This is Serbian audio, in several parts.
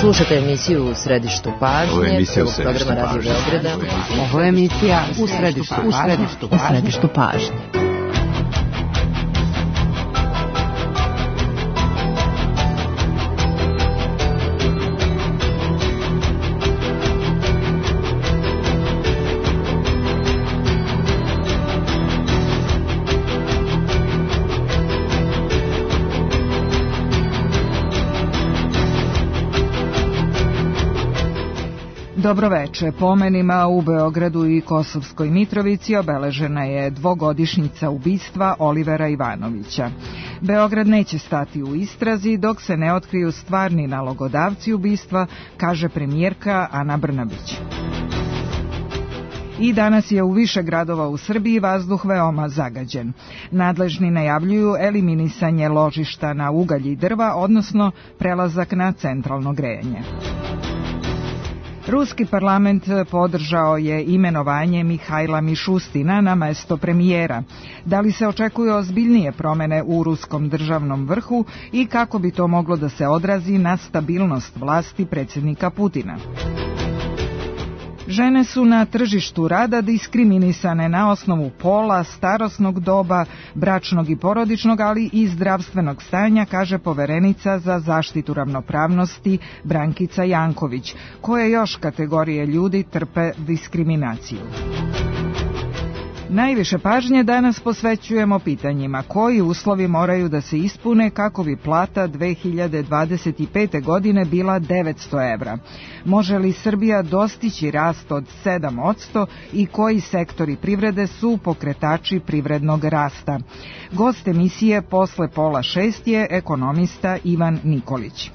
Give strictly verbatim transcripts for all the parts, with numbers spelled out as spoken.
Slušate emisiju U središtu pažnje, prvog programa Radio Beograda. Ovo je emisija U središtu pažnje. U središtu pažnje. Dobroveče. Pomenima u Beogradu i Kosovskoj Mitrovici obeležena je dvogodišnjica ubistva Olivera Ivanovića. Beograd neće stati u istrazi dok se ne otkriju stvarni nalogodavci ubistva, kaže premijerka Ana Brnabić. I danas je u više gradova u Srbiji vazduh veoma zagađen. Nadležni najavljuju eliminisanje ložišta na ugalj i drva, odnosno prelazak na centralno grejanje. Ruski parlament podržao je imenovanje Mihajla Mišustina na mesto premijera. Da li se očekuju ozbiljnije promene u ruskom državnom vrhu i kako bi to moglo da se odrazi na stabilnost vlasti predsjednika Putina? Žene su na tržištu rada diskriminisane na osnovu pola, starosnog doba, bračnog i porodičnog, ali i zdravstvenog stanja, kaže poverenica za zaštitu ravnopravnosti Brankica Janković, koje još kategorije ljudi trpe diskriminaciju. Najviše pažnje danas posvećujemo pitanjima koji uslovi moraju da se ispune kako bi plata dve hiljade dvadeset pete. godine bila devetsto evra. Može li Srbija dostići rast od sedam posto i koji sektori privrede su pokretači privrednog rasta? Gost emisije posle pola šest je ekonomista Ivan Nikolić.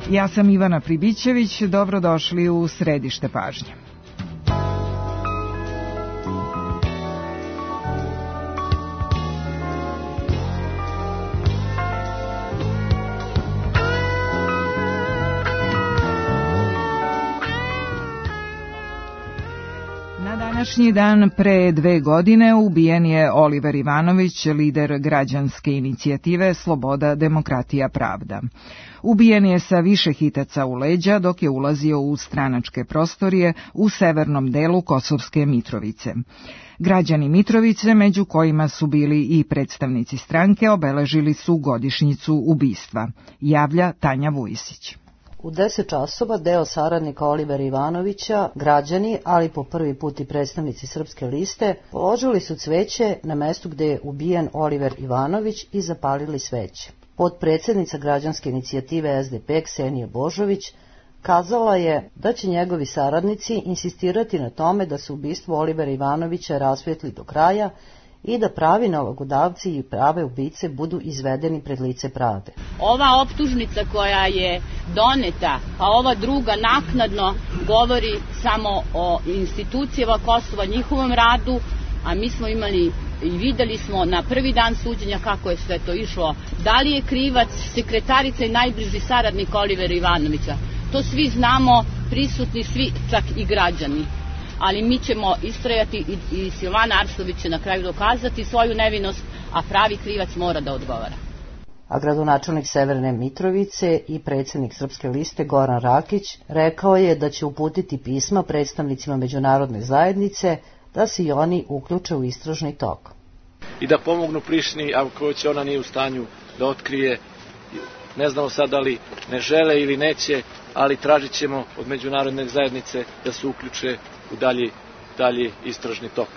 Ja sam Ivana Pribićević, dobrodošli u središte pažnje. Današnji dan pre dve godine ubijen je Oliver Ivanović, lider građanske inicijative Sloboda, demokratija, pravda. Ubijen je sa više hitaca u leđa dok je ulazio u stranačke prostorije u severnom delu Kosovske Mitrovice. Građani Mitrovice, među kojima su bili i predstavnici stranke, obeležili su godišnjicu ubistva, javlja Tanja Vujisić. U deset časova deo saradnika Olivera Ivanovića, građani, ali po prvi put i predstavnici Srpske liste, položili su cveće na mestu gde je ubijen Oliver Ivanović i zapalili sveće. Potpredsednica građanske inicijative S D P Ksenija Božović kazala je da će njegovi saradnici insistirati na tome da se ubistvo Olivera Ivanovića rasvetli do kraja i da pravi nalogodavci i prave ubice budu izvedeni pred lice pravde. Ova optužnica koja je doneta, a ova druga naknadno govori samo o institucijama Kosova, njihovom radu, a mi smo imali i videli smo na prvi dan suđenja kako je sve to išlo. Da li je krivac sekretarica i najbliži saradnik Olivera Ivanovića? To svi znamo, prisutni svi, čak i građani. Ali mi ćemo istrajati i, i Silvana Arsović će na kraju dokazati svoju nevinost, a pravi krivac mora da odgovara. A gradonačelnik Severne Mitrovice i predsjednik Srpske liste Goran Rakić rekao je da će uputiti pisma predstavnicima međunarodne zajednice da se i oni uključe u istražni tok. I da pomognu Prištini, ako će ona nije u stanju da otkrije, ne znamo sad da li ne žele ili neće, ali tražit ćemo od međunarodne zajednice da se uključe u dalji, dalji istražni tok.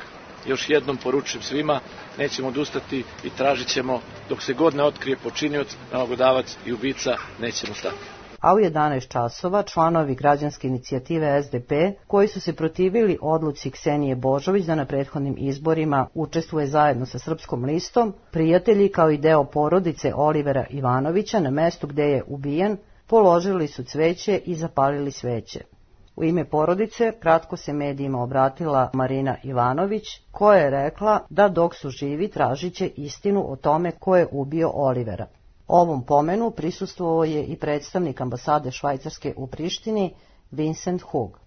Još jednom poručujem svima, nećemo odustati i tražit ćemo dok se god ne otkrije počinioc, nalogodavac i ubica, nećemo stati. A u jedanaest časova članovi građanske inicijative S D P, koji su se protivili odluci Ksenije Božović da na prethodnim izborima učestvuje zajedno sa Srpskom listom, prijatelji kao i deo porodice Olivera Ivanovića na mestu gde je ubijen, položili su cveće i zapalili sveće. U ime porodice kratko se medijima obratila Marina Ivanović, koja je rekla da dok su živi tražit će istinu o tome ko je ubio Olivera. Ovom pomenu prisustvovao je i predstavnik ambasade Švajcarske u Prištini, Vincent Hug.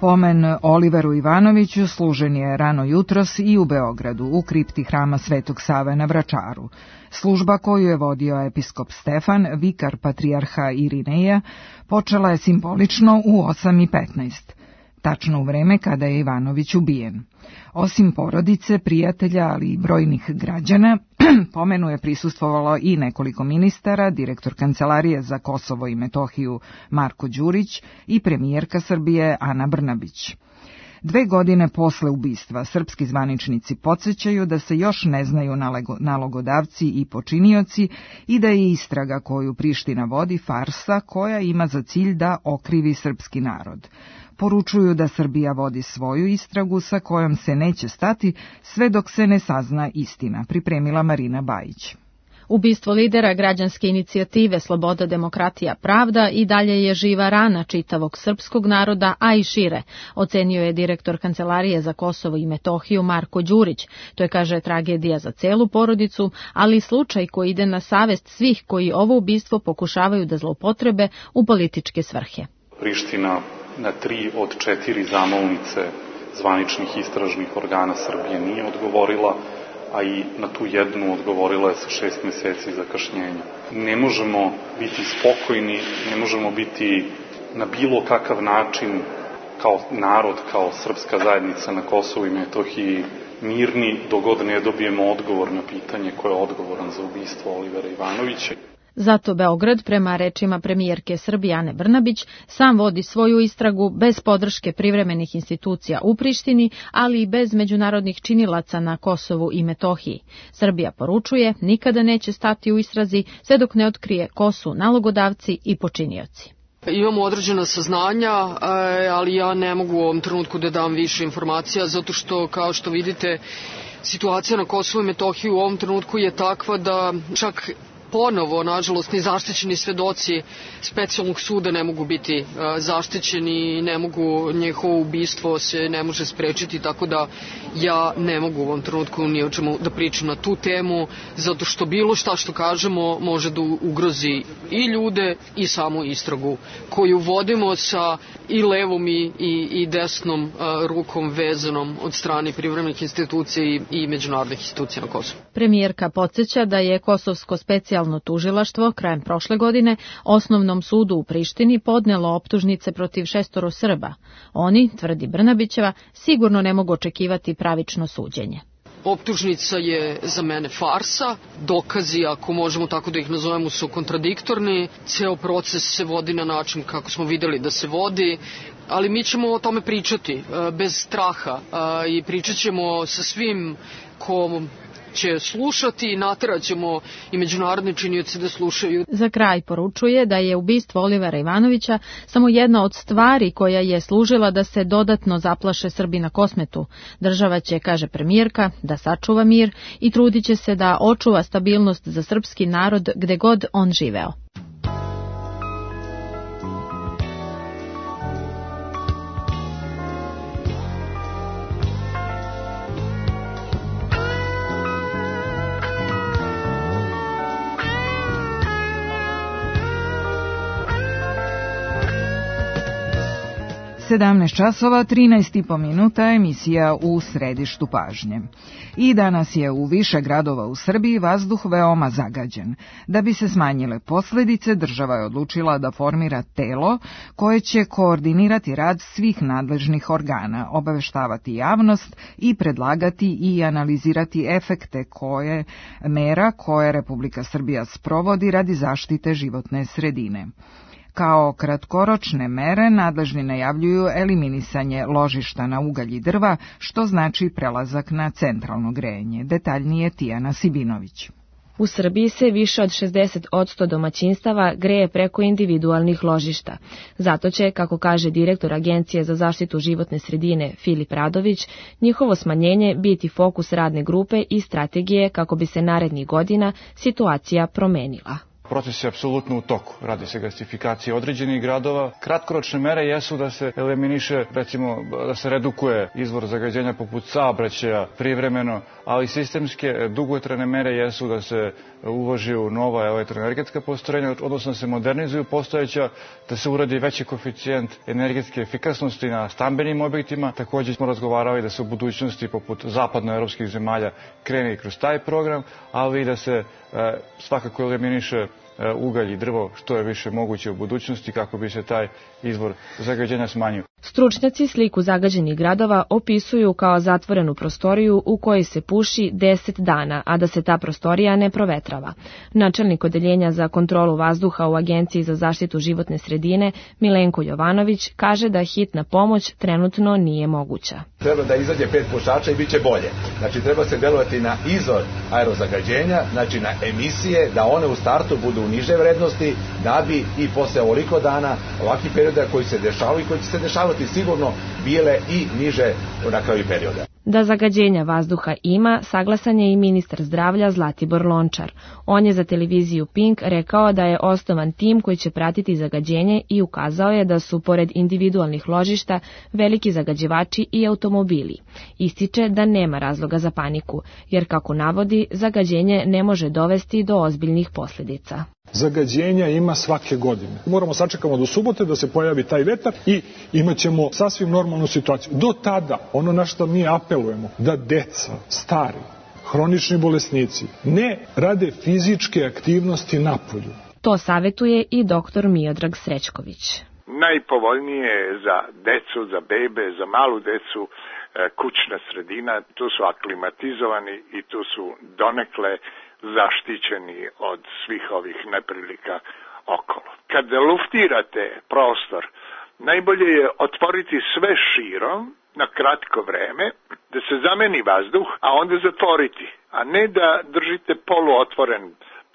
Pomen Oliveru Ivanoviću služen je rano jutros i u Beogradu, u kripti hrama Svetog Save na Vračaru. Služba koju je vodio episkop Stefan, vikar patrijarha Irineja, počela je simbolično u osam i petnaest, tačno u vreme kada je Ivanović ubijen. Osim porodice, prijatelja, ali i brojnih građana, pomenu je prisustvovalo i nekoliko ministara, direktor Kancelarije za Kosovo i Metohiju Marko Đurić i premijerka Srbije Ana Brnabić. Dve godine posle ubistva srpski zvaničnici podsjećaju da se još ne znaju nalogodavci i počinioci i da je istraga koju Priština vodi farsa koja ima za cilj da okrivi srpski narod. Poručuju da Srbija vodi svoju istragu sa kojom se neće stati sve dok se ne sazna istina, pripremila Marina Bajić. Ubistvo lidera građanske inicijative Sloboda, demokratija, pravda i dalje je živa rana čitavog srpskog naroda, a i šire, ocenio je direktor Kancelarije za Kosovo i Metohiju Marko Đurić. To je, kaže, tragedija za celu porodicu, ali i slučaj koji ide na savest svih koji ovo ubistvo pokušavaju da zloupotrebe u političke svrhe. Priština na tri od četiri zamolnice zvaničnih istražnih organa Srbije nije odgovorila, a i na tu jednu odgovorila je sa šest meseci zakašnjenja. Ne možemo biti spokojni, ne možemo biti na bilo kakav način kao narod, kao srpska zajednica na Kosovu i Metohiji mirni dok god ne dobijemo odgovor na pitanje ko je odgovoran za ubistvo Olivera Ivanovića. Zato Beograd, prema rečima premijerke Srbije Ane Brnabić, sam vodi svoju istragu bez podrške privremenih institucija u Prištini, ali i bez međunarodnih činilaca na Kosovu i Metohiji. Srbija poručuje, nikada neće stati u istrazi sve dok ne otkrije ko su nalogodavci i počinioci. Imamo određena saznanja, ali ja ne mogu u ovom trenutku da dam više informacija, zato što, kao što vidite, situacija na Kosovu i Metohiji u ovom trenutku je takva da čak ponovo, nažalost, ni zaštićeni svedoci specijalnog suda ne mogu biti zaštićeni, ne mogu, njihovo ubistvo se ne može sprečiti, tako da ja ne mogu u ovom trenutku ni o čemu da pričam na tu temu, zato što bilo šta što kažemo može da ugrozi i ljude i samu istragu koju vodimo sa i levom i, i, i desnom rukom vezanom od strane privremenih institucija i, i međunarodnih institucija na Kosovu. Premijerka podsjeća da je Kosovsko specijalno tužilaštvo krajem prošle godine Osnovnom sudu u Prištini podnelo optužnice protiv šestoro Srba. Oni, tvrdi Brnabićeva, sigurno ne mogu očekivati pravično suđenje. Optužnica je za mene farsa, dokazi, ako možemo tako da ih nazovemo, su kontradiktorni, ceo proces se vodi na način kako smo videli da se vodi, ali mi ćemo o tome pričati bez straha i pričat ćemo sa svim ko će slušati i natjerat ćemo i međunarodne činioce da slušaju. Za kraj poručuje da je ubistvo Olivera Ivanovića samo jedna od stvari koja je služila da se dodatno zaplaše Srbi na Kosmetu. Država će, kaže premijerka, da sačuva mir i trudit će se da očuva stabilnost za srpski narod gde god on živeo. sedamnaest časova, trinaest i po minuta, emisija u središtu pažnje. I danas je u više gradova u Srbiji vazduh veoma zagađen. Da bi se smanjile posljedice, država je odlučila da formira telo koje će koordinirati rad svih nadležnih organa, obaveštavati javnost i predlagati i analizirati efekte koje mera koje Republika Srbija sprovodi radi zaštite životne sredine. Kao kratkoročne mere nadležni najavljuju eliminisanje ložišta na ugalj i drva, što znači prelazak na centralno grejanje. Detaljnije Tijana Sibinović. U Srbiji se više od šezdeset posto domaćinstava greje preko individualnih ložišta. Zato će, kako kaže direktor Agencije za zaštitu životne sredine Filip Radović, njihovo smanjenje biti fokus radne grupe i strategije kako bi se narednih godina situacija promenila. Proces je apsolutno u toku. Radi se gasifikacija određenih gradova. Kratkoročne mere jesu da se eliminiše, recimo, da se redukuje izvor zagađenja poput saobraćaja privremeno, ali sistemske dugotrajne mere jesu da se uloži u nova elektroenergetska postrojenja, odnosno da se modernizuju postojeća, da se uradi veći koeficijent energetske efikasnosti na stambenim objektima. Također smo razgovarali da se u budućnosti poput zapadnoevropskih zemalja krene i kroz taj program, ali i da se e, svakako eliminiše ugalj i drvo što je više moguće u budućnosti kako bi se taj izvor zagađenja smanjio. Stručnjaci sliku zagađenih gradova opisuju kao zatvorenu prostoriju u kojoj se puši deset dana, a da se ta prostorija ne provetrava. Načelnik odeljenja za kontrolu vazduha u Agenciji za zaštitu životne sredine Milenko Jovanović kaže da hitna pomoć trenutno nije moguća. Treba da izađe pet pušača i bit će bolje. Znači treba se delovati na izvor aerozagađenja, znači na emisije, da one u startu budu u niže vrednosti, da bi i posle ovoliko dana ovakvih perioda koji se dešavaju i koji će se dešavati sigurno bile i niže na kraju perioda. Da zagađenja vazduha ima, saglasan je i ministar zdravlja Zlatibor Lončar. On je za televiziju Pink rekao da je osnovan tim koji će pratiti zagađenje i ukazao je da su, pored individualnih ložišta, veliki zagađivači i automobili. Ističe da nema razloga za paniku, jer, kako navodi, zagađenje ne može dovesti do ozbiljnih posljedica. Zagađenja ima svake godine. Moramo sačekamo do subote da se pojavi taj vetar i imat ćemo sasvim normalnu situaciju. Do tada, ono na što mi apelujemo, da deca, stari, hronični bolesnici ne rade fizičke aktivnosti napolju. To savjetuje i doktor Miodrag Srećković. Najpovoljnije je za decu, za bebe, za malu decu kućna sredina. Tu su aklimatizovani i tu su donekle zaštićeni od svih ovih neprilika okolo. Kad luftirate prostor, najbolje je otvoriti sve širom na kratko vreme, da se zameni vazduh, a onda zatvoriti, a ne da držite poluotvoren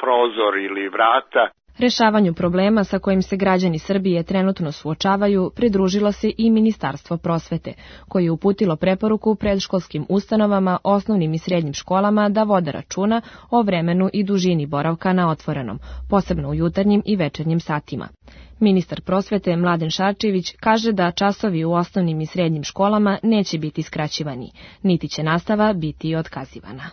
prozor ili vrata. Rešavanju problema sa kojim se građani Srbije trenutno suočavaju pridružilo se i Ministarstvo prosvete, koje je uputilo preporuku predškolskim ustanovama, osnovnim i srednjim školama da vode računa o vremenu i dužini boravka na otvorenom, posebno u jutarnjim i večernjim satima. Ministar prosvete Mladen Šarčević kaže da časovi u osnovnim i srednjim školama neće biti skraćivani, niti će nastava biti otkazivana.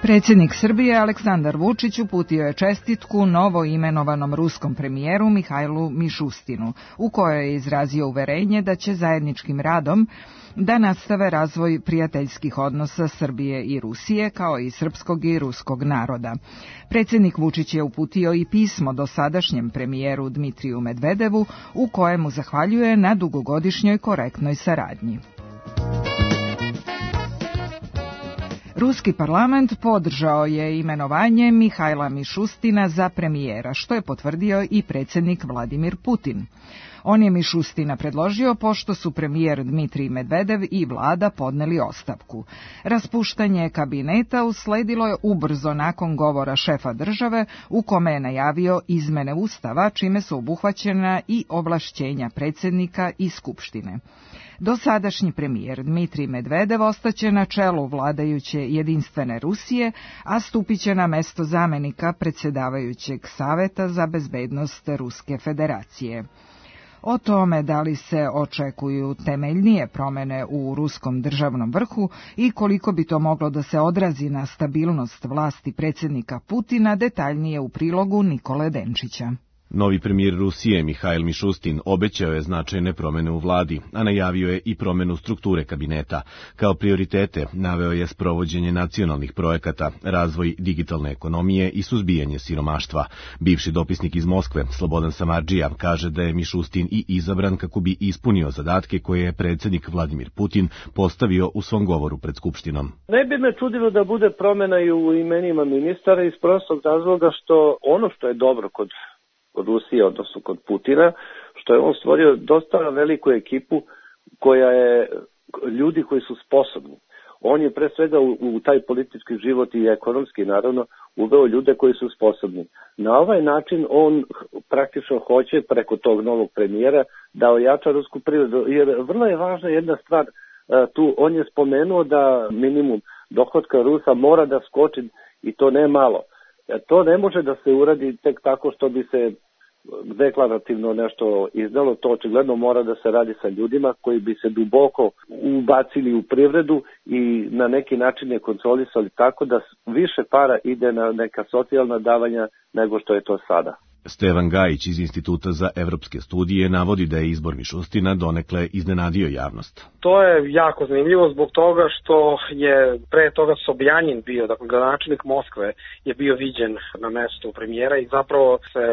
Predsjednik Srbije Aleksandar Vučić uputio je čestitku novo imenovanom ruskom premijeru Mihajlu Mišustinu, u kojoj je izrazio uverenje da će zajedničkim radom da nastave razvoj prijateljskih odnosa Srbije i Rusije, kao i srpskog i ruskog naroda. Predsjednik Vučić je uputio i pismo dosadašnjem premijeru Dmitriju Medvedevu, u kojemu zahvaljuje na dugogodišnjoj korektnoj saradnji. Ruski parlament podržao je imenovanje Mihajla Mišustina za premijera, što je potvrdio i predsjednik Vladimir Putin. On je Mišustina predložio pošto su premijer Dmitrij Medvedev i vlada podneli ostavku. Raspuštanje kabineta usledilo je ubrzo nakon govora šefa države u kome je najavio izmene ustava, čime su obuhvaćena i ovlašćenja predsjednika i skupštine. Dosadašnji premijer Dmitrij Medvedev ostaće na čelu vladajuće jedinstvene Rusije, a stupit će na mesto zamenika predsjedavajućeg Saveta za bezbednost Ruske federacije. O tome da li se očekuju temeljnije promjene u ruskom državnom vrhu i koliko bi to moglo da se odrazi na stabilnost vlasti predsjednika Putina, detaljnije u prilogu Nikole Denčića. Novi premijer Rusije Mihajl Mišustin obećao je značajne promjene u vladi, a najavio je i promjenu strukture kabineta. Kao prioritete naveo je sprovođenje nacionalnih projekata, razvoj digitalne ekonomije i suzbijanje siromaštva. Bivši dopisnik iz Moskve, Slobodan Samardžija, kaže da je Mišustin i izabran kako bi ispunio zadatke koje je predsjednik Vladimir Putin postavio u svom govoru pred Skupštinom. Ne bi me čudilo da bude promjena i u imenima ministara iz prostog razloga što ono što je dobro kod kod Rusije, odnosno kod Putina, što je on stvorio dosta veliku ekipu koja je ljudi koji su sposobni. On je pre svega u, u taj politički život i ekonomski, naravno, uveo ljude koji su sposobni. Na ovaj način on praktično hoće preko tog novog premijera da ojača rusku privredu, jer vrlo je važna jedna stvar tu. On je spomenuo da minimum dohotka Rusa mora da skoči i to ne malo. To ne može da se uradi tek tako što bi se deklarativno nešto izdalo, to očigledno mora da se radi sa ljudima koji bi se duboko ubacili u privredu i na neki način je kontrolisali tako da više para ide na neka socijalna davanja nego što je to sada. Stevan Gajić iz Instituta za evropske studije navodi da je izbor Mišustina donekle iznenadio javnost. To je jako zanimljivo zbog toga što je pre toga Sobjanin bio, dakle gradonačelnik Moskve je bio viđen na mestu premijera i zapravo se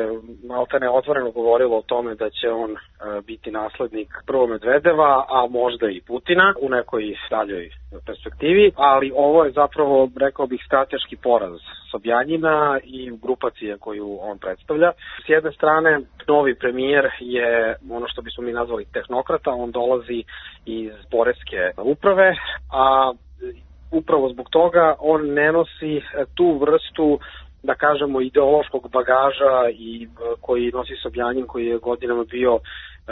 maltene otvoreno govorilo o tome da će on biti naslednik prvo Medvedeva, a možda i Putina u nekoj daljoj perspektivi, ali ovo je zapravo, rekao bih, strateški poraz Sobjanina i grupacije koju on predstavlja. S jedne strane, novi premijer je ono što bismo mi nazvali tehnokrata, on dolazi iz poreske uprave, a upravo zbog toga on ne nosi tu vrstu, da kažemo, ideološkog bagaža i koji nosi Sobjanin, koji je godinama bio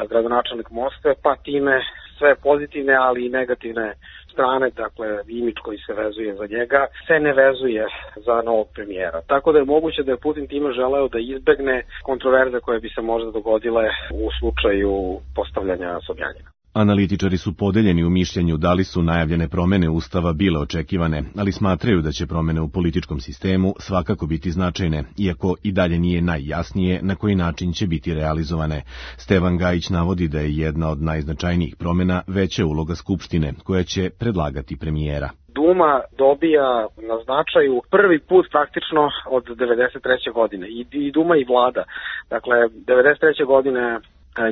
gradonačelnik Moskve, pa time sve pozitivne, ali i negativne strane, dakle imidž koji se vezuje za njega, se ne vezuje za novog premijera. Tako da je moguće da je Putin time želeo da izbegne kontroverze koje bi se možda dogodile u slučaju postavljanja Sobjanina. Analitičari su podeljeni u mišljenju da li su najavljene promene Ustava bile očekivane, ali smatraju da će promene u političkom sistemu svakako biti značajne, iako i dalje nije najjasnije na koji način će biti realizovane. Stevan Gajić navodi da je jedna od najznačajnijih promena veća uloga Skupštine, koja će predlagati premijera. Duma dobija na značaju prvi put praktično od devedeset treće godine. I, i Duma i vlada. Dakle, devedeset treće godine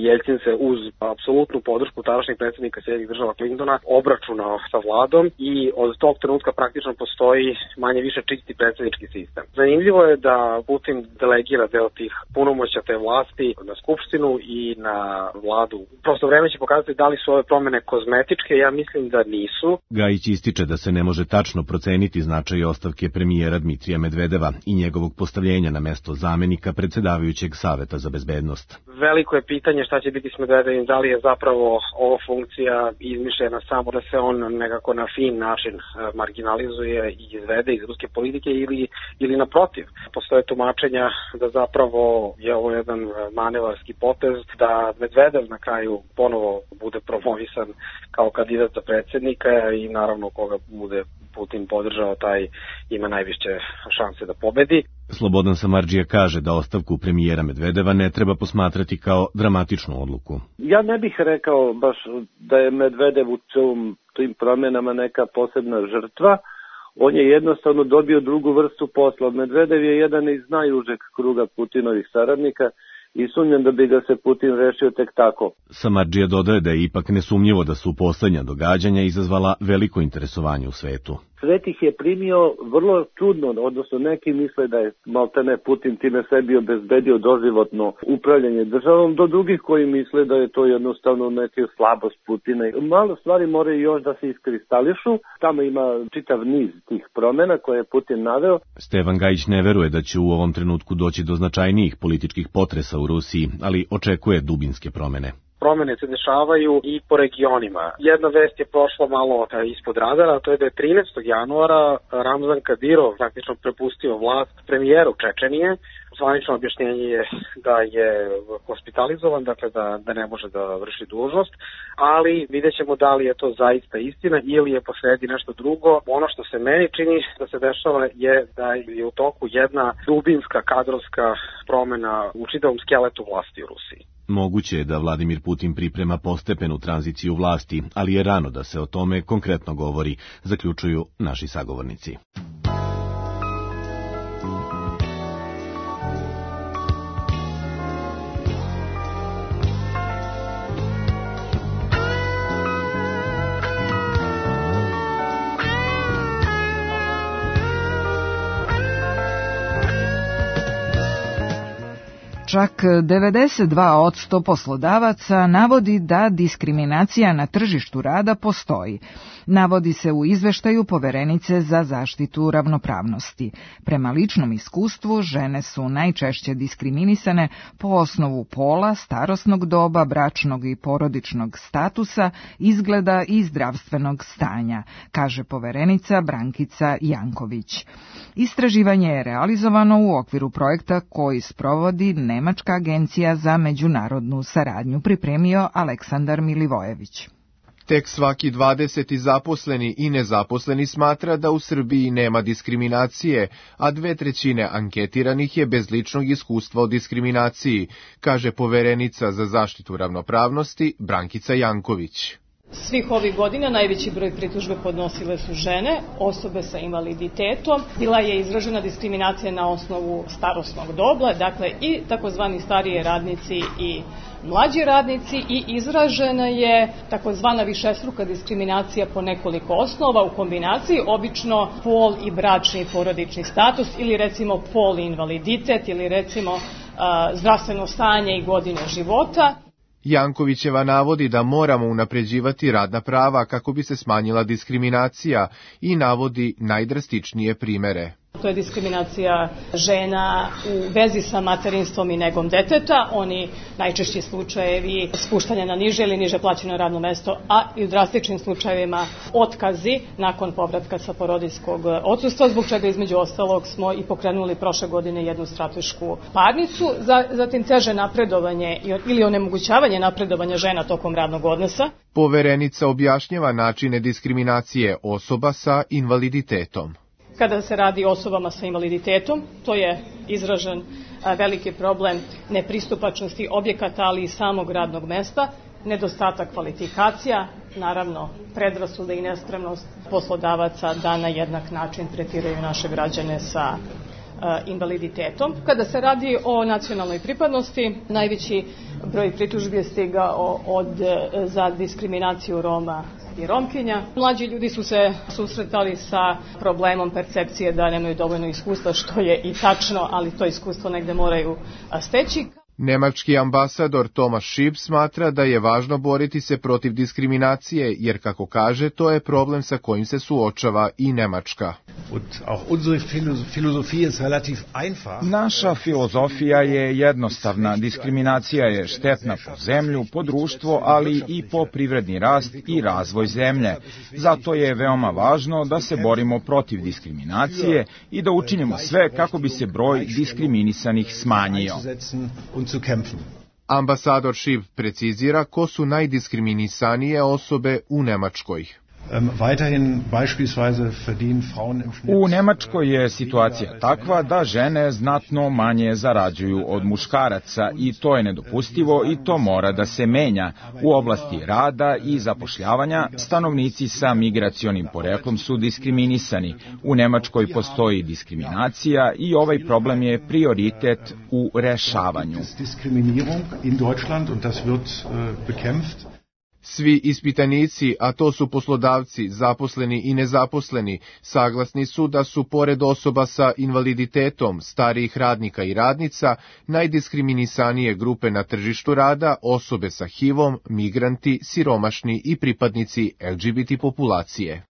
Jeljcin se uz apsolutnu podršku tadašnjeg predsjednika Sjedinjenih Država Clintona obračunao sa vladom i od tog trenutka praktično postoji manje više čisti predsjednički sistem. Zanimljivo je da Putin delegira deo tih punomoćja te vlasti na skupštinu i na vladu. Prosto vreme će pokazati da li su ove promene kozmetičke, ja mislim da nisu. Gajić ističe da se ne može tačno proceniti značaj ostavke premijera Dmitrija Medvedeva i njegovog postavljenja na mesto zamenika predsjedavajućeg Saveta za bezbednost. Veliko je pitanje šta će biti s Medvedevim, da li je zapravo ova funkcija izmišljena samo da se on nekako na fin način marginalizuje i izvede iz ruske politike ili, ili naprotiv. Postoje tumačenja da zapravo je ovo jedan manevarski potez, da Medvedev na kraju ponovo bude promovisan kao kandidat za predsjednika i naravno koga bude Putin podržao, taj ima najviše šanse da pobedi. Slobodan Samardžija kaže da ostavku premijera Medvedeva ne treba posmatrati kao dramatičnu odluku. Ja ne bih rekao baš da je Medvedev u celom tim promjenama neka posebna žrtva. On je jednostavno dobio drugu vrstu posla. Medvedev je jedan iz najužeg kruga Putinovih saradnika i sumnjam da bi ga se Putin rešio tek tako. Samardžija dodaje da je ipak nesumnjivo da su poslednja događanja izazvala veliko interesovanje u svetu. Svet ih je primio vrlo čudno, odnosno neki misle da je maltene Putin time sebi obezbedio doživotno upravljanje državom, do drugih koji misle da je to jednostavno neka slabost Putina. Malo stvari moraju još da se iskristališu, tamo ima čitav niz tih promjena koje je Putin naveo. Stevan Gajić ne veruje da će u ovom trenutku doći do značajnijih političkih potresa u Rusiji, ali očekuje dubinske promjene. Promene se dešavaju i po regionima. Jedna vest je prošla malo ispod radara, a to je da je trinaestog januara Ramzan Kadirov praktično prepustio vlast premijeru Čečenije. Zvanično objašnjenje je da je hospitalizovan, dakle da, da ne može da vrši dužnost, ali vidjet ćemo da li je to zaista istina ili je posredi nešto drugo. Ono što se meni čini da se dešava je da je u toku jedna dubinska kadrovska promena u čitavom skeletu vlasti u Rusiji. Moguće je da Vladimir Putin priprema postepenu tranziciju vlasti, ali je rano da se o tome konkretno govori, zaključuju naši sagovornici. Čak devedeset dva posto poslodavaca navodi da diskriminacija na tržištu rada postoji. navodi se u izveštaju Poverenice za zaštitu ravnopravnosti. Prema ličnom iskustvu, žene su najčešće diskriminisane po osnovu pola, starosnog doba, bračnog i porodičnog statusa, izgleda i zdravstvenog stanja, kaže Poverenica Brankica Janković. Istraživanje je realizovano u okviru projekta koji sprovodi Nemačka agencija za međunarodnu saradnju, pripremio Aleksandar Milivojević. Tek svaki dvadeseti zaposleni i nezaposleni smatra da u Srbiji nema diskriminacije, a dve trećine anketiranih je bez ličnog iskustva o diskriminaciji, kaže Poverenica za zaštitu ravnopravnosti Brankica Janković. Svih ovih godina najveći broj pritužbe podnosile su žene, osobe sa invaliditetom. Bila je izražena diskriminacija na osnovu starosnog doba, dakle i takozvani starije radnici i mlađi radnici, i izražena je takozvana višestruka diskriminacija po nekoliko osnova u kombinaciji, obično pol i bračni i porodični status, ili recimo pol i invaliditet, ili recimo a, zdravstveno stanje i godine života. Jankovićeva navodi da moramo unapređivati radna prava kako bi se smanjila diskriminacija i navodi najdrastičnije primere. To je diskriminacija žena u vezi sa materinstvom i negom deteta, oni najčešći slučajevi spuštanja na niže ili niže plaćeno radno mesto, a i u drastičnim slučajevima otkazi nakon povratka sa porodiljskog odsustva, zbog čega između ostalog smo i pokrenuli prošle godine jednu stratešku parnicu, zatim teže napredovanje ili onemogućavanje napredovanja žena tokom radnog odnosa. Poverenica objašnjava načine diskriminacije osoba sa invaliditetom. Kada se radi o osobama sa invaliditetom, to je izražen veliki problem nepristupačnosti objekata, ali i samog radnog mesta, nedostatak kvalifikacija, naravno predrasude i nespremnost poslodavaca da na jednak način tretiraju naše građane sa invaliditetom. Kada se radi o nacionalnoj pripadnosti, najveći broj pritužbi je stigao od, za diskriminaciju Roma i Romkinja. Mlađi ljudi su se susretali sa problemom percepcije da nemaju dovoljno iskustva, što je i tačno, ali to iskustvo negde moraju steći. Nemački ambasador Thomas Schieb smatra da je važno boriti se protiv diskriminacije, jer, kako kaže, to je problem sa kojim se suočava i Nemačka. Naša filozofija je jednostavna. Diskriminacija je štetna po zemlju, po društvo, ali i po privredni rast i razvoj zemlje. Zato je veoma važno da se borimo protiv diskriminacije i da učinimo sve kako bi se broj diskriminisanih smanjio. Ambasador Schieb precizira ko su najdiskriminisanije osobe u Nemačkoj. U Nemačkoj je situacija takva da žene znatno manje zarađuju od muškaraca i to je nedopustivo i to mora da se menja. U oblasti rada i zapošljavanja stanovnici sa migracionim poreklom su diskriminisani. U Nemačkoj postoji diskriminacija i ovaj problem je prioritet u rešavanju. Svi ispitanici, a to su poslodavci, zaposleni i nezaposleni, saglasni su da su, pored osoba sa invaliditetom, starijih radnika i radnica, najdiskriminisanije grupe na tržištu rada osobe sa H I V-om, migranti, siromašni i pripadnici L G B T populacije.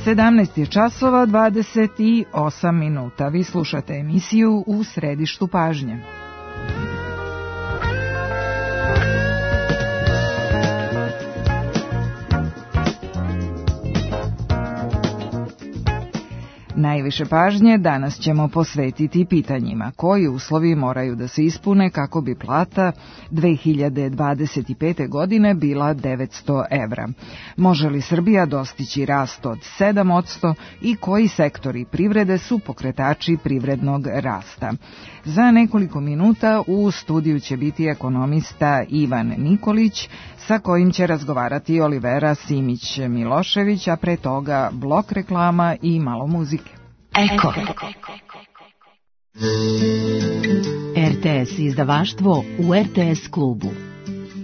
sedamnaest je časova dvadeset osam minuta. Vi slušate emisiju U središtu pažnje. Najviše pažnje danas ćemo posvetiti pitanjima koji uslovi moraju da se ispune kako bi plata dve hiljade dvadeset pete. godine bila devetsto evra. Može li Srbija dostići rast od sedam posto i koji sektori privrede su pokretači privrednog rasta? Za nekoliko minuta u studiju će biti ekonomista Ivan Nikolić, sa kojim će razgovarati Olivera Simić-Milošević, a pre toga blok reklama i malo muzike. Eko. R T S izdavaštvo u R T S klubu.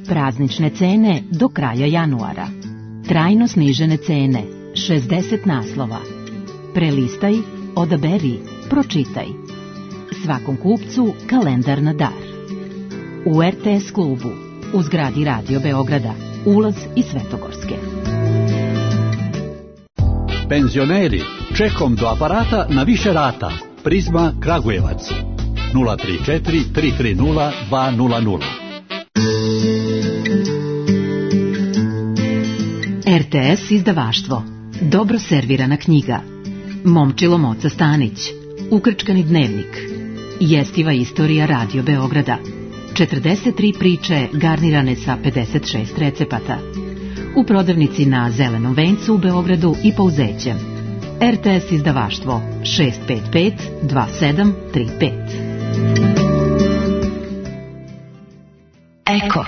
Praznične cene do kraja januara. Trajno snižene cene, šezdeset naslova. Prelistaj, odaberi, pročitaj. svakom kupcu kalendar na dar. U er te es klubu, u zgradi Radio Beograda, ulaz iz Svetogorske. Penzioneri, čekom do aparata na više rata. Prizma Kragujevac. nula tri četiri tri tri nula dva nula nula. er te es izdavaštvo. Dobro servirana knjiga. Momčilo Moca Stanić. Ukrčkani dnevnik. Jestiva istorija Radio Beograda. četrdeset tri priče garnirane sa pedeset šest recepata. U prodavnici na Zelenom vencu u Beogradu i Pouzećem. er te es izdavaštvo šest pet pet dva sedam tri pet. Eko.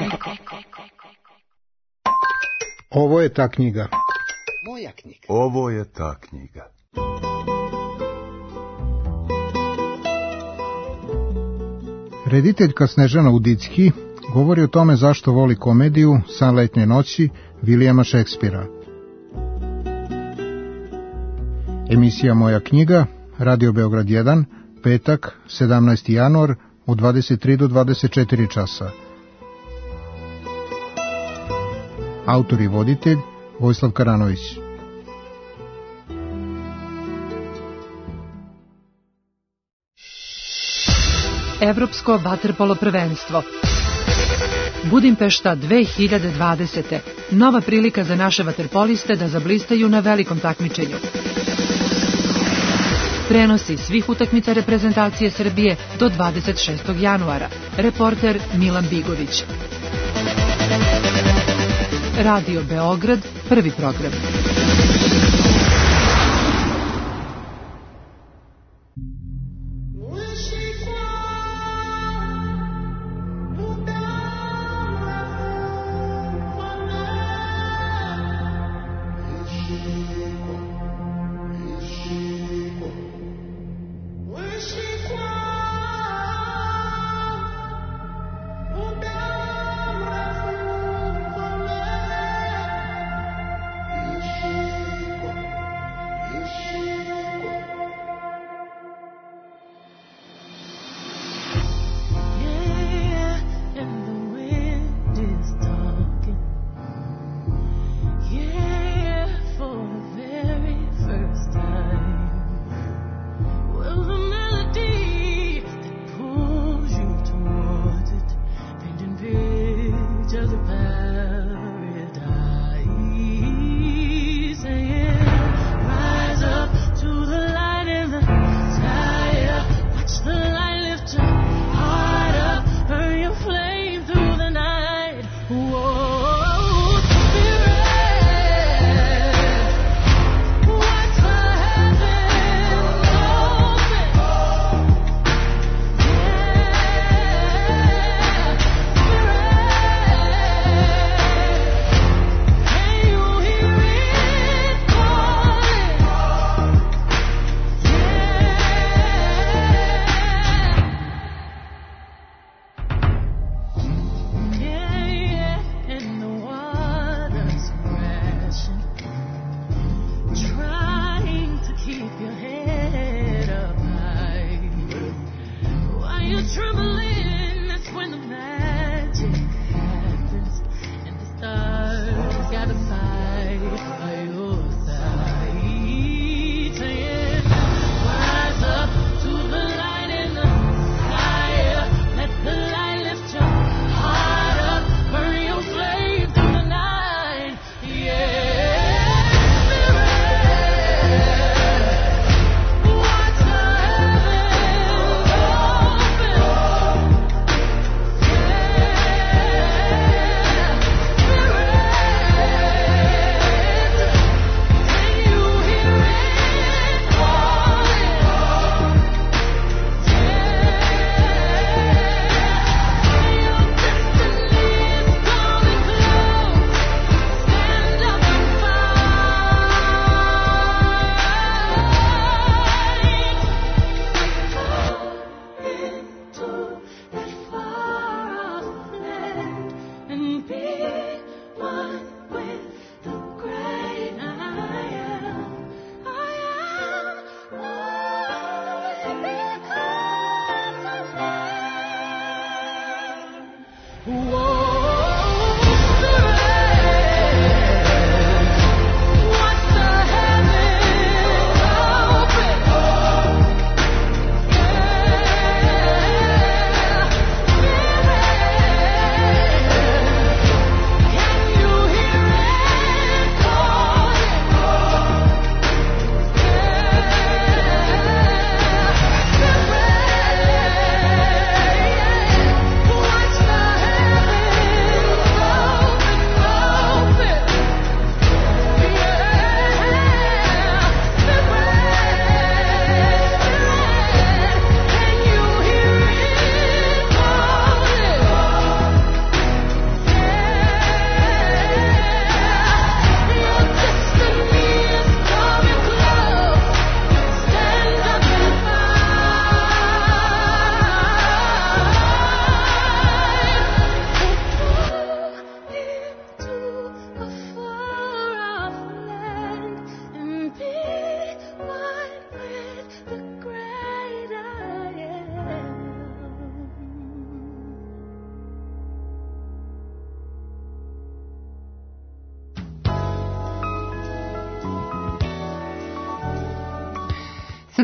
Ovo je ta knjiga. Moja knjiga. Ovo je ta knjiga. Rediteljka Snežana Udicki govori o tome zašto voli komediju San letnje noći Vilijama Šekspira. Emisija Moja knjiga, Radio Beograd jedan, petak, sedamnaesti januar, od dvadeset tri do dvadeset četiri časa. Autor i voditelj Vojislav Karanović. Evropsko vaterpolo prvenstvo. Budimpešta dve hiljade dvadesete. Nova prilika za naše vaterpoliste da zablistaju na velikom takmičenju. Prenosi svih utakmica reprezentacije Srbije do dvadeset šestog januara. Reporter Milan Bigović. Radio Beograd, prvi program.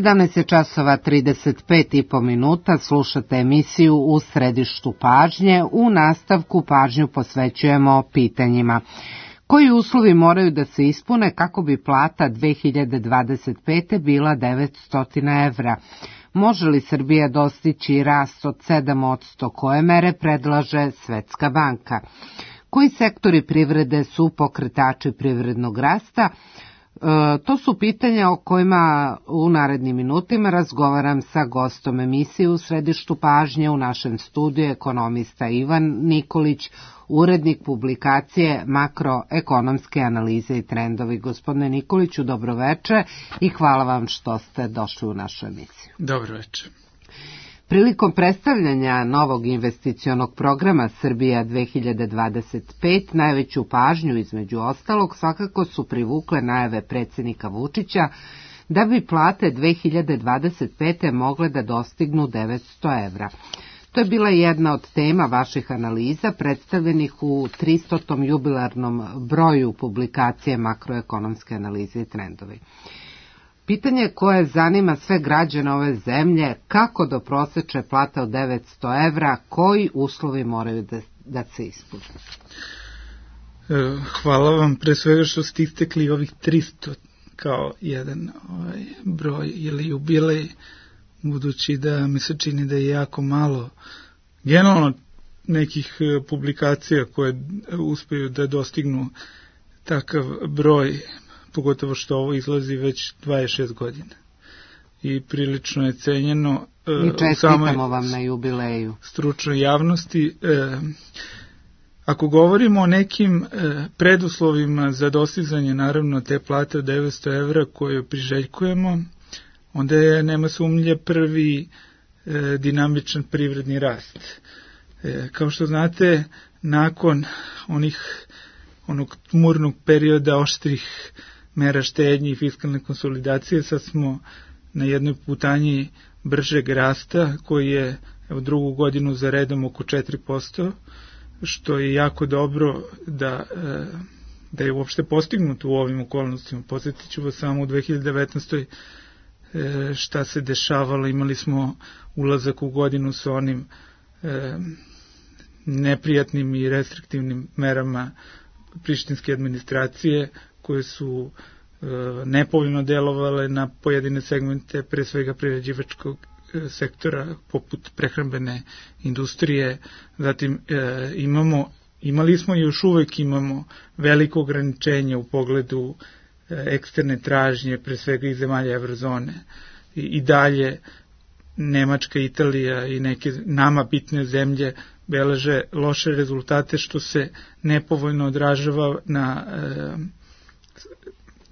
sedamnaest časova trideset pet i po minuta, slušate emisiju U središtu pažnje. U nastavku pažnju posvećujemo pitanjima. Koji uslovi moraju da se ispune kako bi plata dve hiljade dvadeset pete bila devetsto evra? Može li Srbija dostići rast od sedam posto koje mere predlaže Svetska banka? Koji sektori privrede su pokretači privrednog rasta? E, to su pitanja o kojima u narednim minutima razgovaram sa gostom emisije U središtu pažnje. U našem studiju ekonomista Ivan Nikolić, urednik publikacije Makroekonomske analize i trendovi. Gospodine Nikoliću, dobroveče i hvala vam što ste došli u našu emisiju. Dobroveče. Prilikom predstavljanja novog investicionog programa Srbija dve hiljade dvadeset pet najveću pažnju između ostalog svakako su privukle najave predsjednika Vučića da bi plate dve hiljade dvadeset pete mogle da dostignu devetsto evra. To je bila jedna od tema vaših analiza predstavljenih u tristotom jubilarnom broju publikacije Makroekonomske analize i trendovi. Pitanje koje zanima sve građane ove zemlje, kako do prosečne plate od devetsto evra, koji uslovi moraju da, da se ispune? Hvala vam pre svega što ste istekli ovih tristo kao jedan ovaj, broj ili jubilej, budući da mi se čini da je jako malo generalno nekih publikacija koje uspeju da dostignu takav broj, pogotovo što ovo izlazi već dvadeset šest godina. I prilično je cenjeno I čestitamo vam na jubileju. Stručnoj javnosti. E, ako govorimo o nekim e, preduslovima za dostizanje naravno te plate od devetsto evra koje priželjkujemo, onda je, nema sumnje, prvi e, dinamičan privredni rast. E, kao što znate, nakon onih onog tmurnog perioda oštrih mera štednje i fiskalne konsolidacije, sad smo na jednoj putanji bržeg rasta koji je evo, drugu godinu za redom oko četiri posto, što je jako dobro da, da je uopšte postignuto u ovim okolnostima. Podsjetit ću vas samo u dve hiljade devetnaestoj šta se dešavalo. Imali smo ulazak u godinu sa onim neprijatnim i restriktivnim merama prištinske administracije koje su e, nepovoljno delovale na pojedine segmente, pre svega prerađivačkog e, sektora poput prehrambene industrije. Zatim e, imamo, imali smo i još uvek imamo veliko ograničenje u pogledu e, eksterne tražnje, pre svega iz zemalja evrozone. I, i dalje Nemačka, Italija i neke nama bitne zemlje beleže loše rezultate, što se nepovoljno odražava na e,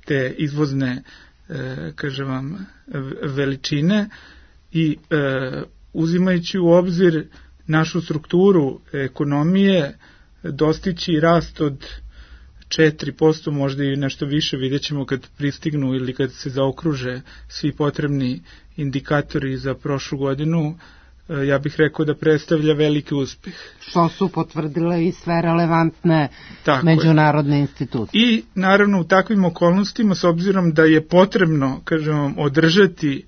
te izvozne e, kažem vam, veličine i e, uzimajući u obzir našu strukturu ekonomije, dostići rast od četiri posto, možda i nešto više, vidjet ćemo kad pristignu ili kad se zaokruže svi potrebni indikatori za prošlu godinu, ja bih rekao da predstavlja veliki uspeh. Što su potvrdile i sve relevantne Tako međunarodne je. institucije. I naravno u takvim okolnostima, s obzirom da je potrebno, kažem, održati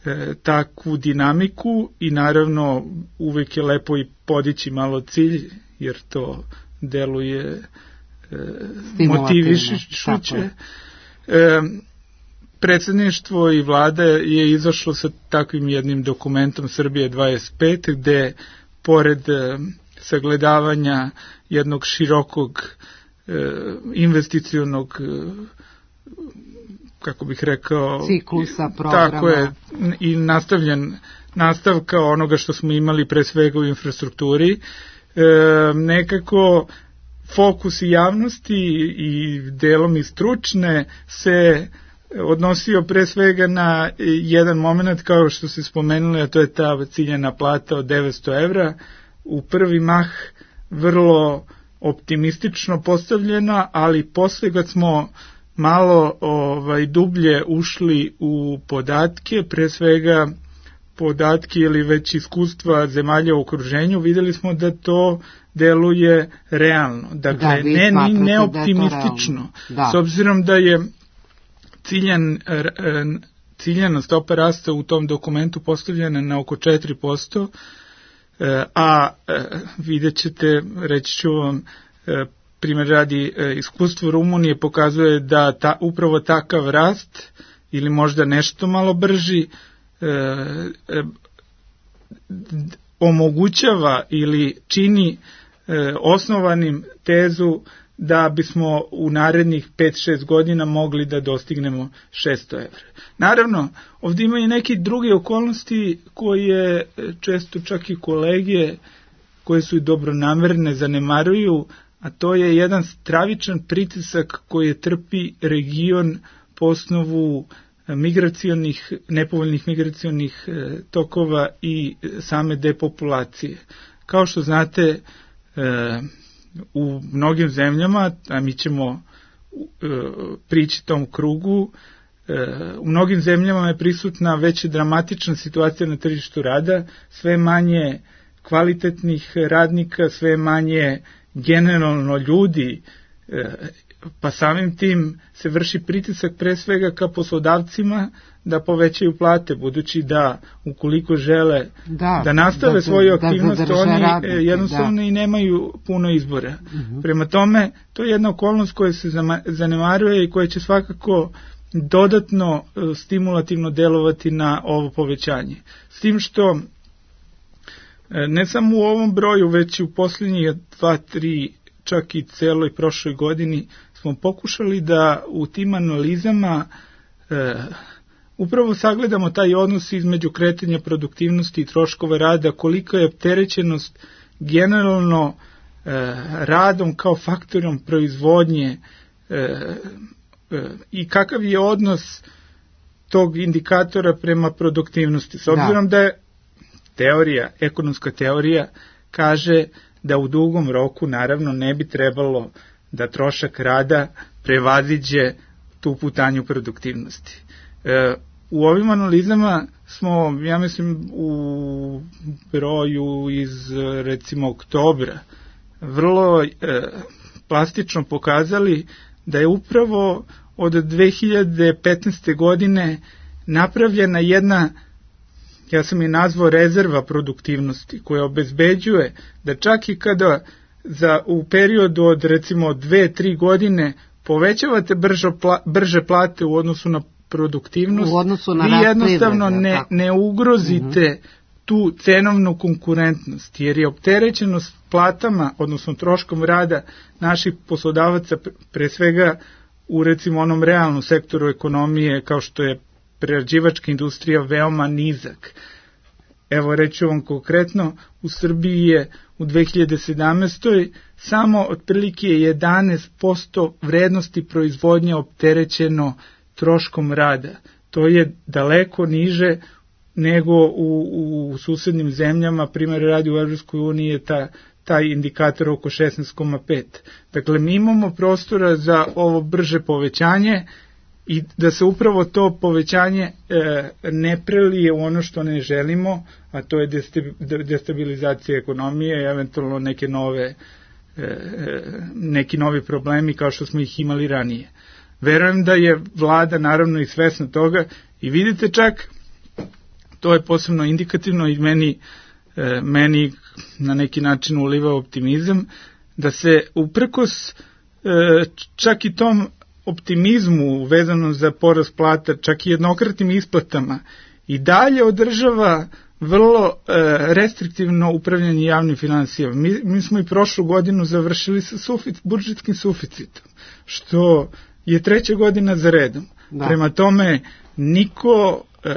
e, takvu dinamiku i naravno uvek je lepo i podići malo cilj, jer to deluje e, motivišuće. E, Predsedništvo i vlada je izašlo sa takvim jednim dokumentom Srbije dvadeset pet, gde pored e, sagledavanja jednog širokog e, investicionog e, kako bih rekao ciklusa programa, tako je, i nastavljen nastavka onoga što smo imali pre svega u infrastrukturi, e, nekako fokus i javnosti i delom i stručne se odnosio pre svega na jedan moment, kao što se spomenuli, a to je ta ciljana plata od devetsto evra, u prvi mah vrlo optimistično postavljena, ali posle kad smo malo ovaj, dublje ušli u podatke, pre svega podatke ili već iskustva zemalja u okruženju, videli smo da to deluje realno. Dakle, da, ne, ni neoptimistično. Da. S obzirom da je Ciljan, ciljana stopa rasta u tom dokumentu postavljena na oko četiri posto, a vidjet ćete, reći ću vam, primjer radi, iskustvo Rumunije pokazuje da ta, upravo takav rast, ili možda nešto malo brži, omogućava ili čini osnovanim tezu da bismo u narednih pet šest godina mogli da dostignemo šesto evra. Naravno, ovdje ima i neki druge okolnosti koje često čak i kolege koje su i dobronamerne zanemaruju, a to je jedan stravičan pritisak koji trpi region po osnovu migracionih, nepovoljnih migracionih tokova i same depopulacije. Kao što znate, u mnogim zemljama, a mi ćemo e, prići tom krugu, e, u mnogim zemljama je prisutna već dramatična situacija na tržištu rada, sve manje kvalitetnih radnika, sve manje generalno ljudi, e, pa samim tim se vrši pritisak pre svega ka poslodavcima da povećaju plate, budući da ukoliko žele da, da nastave da, svoju aktivnost, da oni radnike, jednostavno da. i nemaju puno izbora. Uh-huh. Prema tome, to je jedna okolnost koja se zanemaruje i koja će svakako dodatno stimulativno delovati na ovo povećanje. S tim što ne samo u ovom broju, već i u posljednjih dva, tri, čak i celoj prošloj godini smo pokušali da u tim analizama e, upravo sagledamo taj odnos između kretanja produktivnosti i troškova rada, kolika je opterećenost generalno e, radom kao faktorom proizvodnje e, e, i kakav je odnos tog indikatora prema produktivnosti. S obzirom da, da je teorija, ekonomska teorija kaže da u dugom roku naravno ne bi trebalo da trošak rada prevaziđe tu putanju produktivnosti. E, u ovim analizama smo, ja mislim, u broju iz recimo oktobra vrlo e, plastično pokazali da je upravo od dve hiljade petnaeste. godine napravljena jedna, ja sam je nazvao rezerva produktivnosti, koja obezbeđuje da čak i kada za, u periodu od recimo dve tri godine povećavate brže, pla, brže plate u odnosu na produktivnost, u odnosu na vi jednostavno ne, ne ugrozite uh-huh. tu cenovnu konkurentnost, jer je opterećenost platama, odnosno troškom rada naših poslodavaca, pre svega u recimo onom realnom sektoru ekonomije, kao što je prerađivačka industrija, veoma nizak. Evo reću vam konkretno, u Srbiji je u dve hiljade sedamnaestoj. samo otprilike jedanaest posto vrednosti proizvodnje opterećeno troškom rada. To je daleko niže nego u, u susednim zemljama, primjer radi u Evropskoj uniji je ta, taj indikator oko šesnaest zarez pet. Dakle, mi imamo prostora za ovo brže povećanje i da se upravo to povećanje e, ne prelije u ono što ne želimo, a to je destabilizacija ekonomije i eventualno neke nove, e, neki novi problemi kao što smo ih imali ranije. Verujem da je vlada naravno i svesna toga i vidite čak, to je posebno indikativno i meni, e, meni na neki način uliva optimizam, da se uprkos e, čak i tom optimizmu vezano za porast plata, čak i jednokratnim isplatama, i dalje održava vrlo e, restriktivno upravljanje javnim finansijama. Mi, mi smo i prošlu godinu završili sa sufic, budžetskim suficitom, što je treća godina za redom. Da. Prema tome, niko, e,